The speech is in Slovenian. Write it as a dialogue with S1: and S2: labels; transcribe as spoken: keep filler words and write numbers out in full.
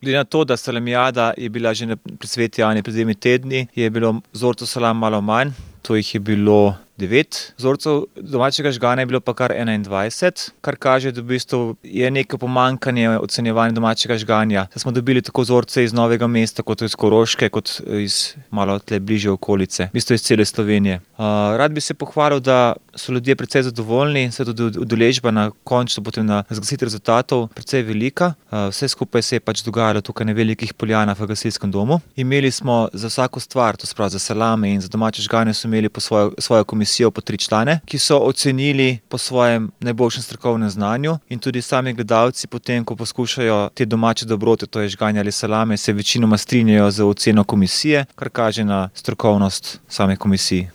S1: Glede na to, da salamijada je bila že na pri Sveti Ani pred dvemi tedni, je bilo vzorcev salam malo manj, to jih je bilo devet. Vzorcev domačega žgana je bilo pa kar enaindvajset, kar kaže, da v bistvu je neko pomanjkanje ocenjevanja domačega žganja. Saj smo dobili tako vzorce iz Novega mesta, kot iz Koroške, kot iz malo tule bližje okolice, v bistvu iz cele Slovenije. rad bi se pohvalil, da so ljudje precej zadovoljni, saj tudi udeležba na končno potem na razglasitvi rezultatov precej velika. vse skupaj se je pač dogajalo tukaj na Velikih Poljanah v gasilskem domu. Imeli smo za vsako stvar, to se pravi za salame in za domače žganje, so imeli po svojo, svojo komisijo po tri člane, ki so ocenili po svojem najboljšem strokovnem znanju, in tudi sami gledalci potem, ko poskušajo te domače dobrote, to je žganje ali salame, se večinoma strinjajo z oceno komisije, kar kaže na strokovnost same komisije.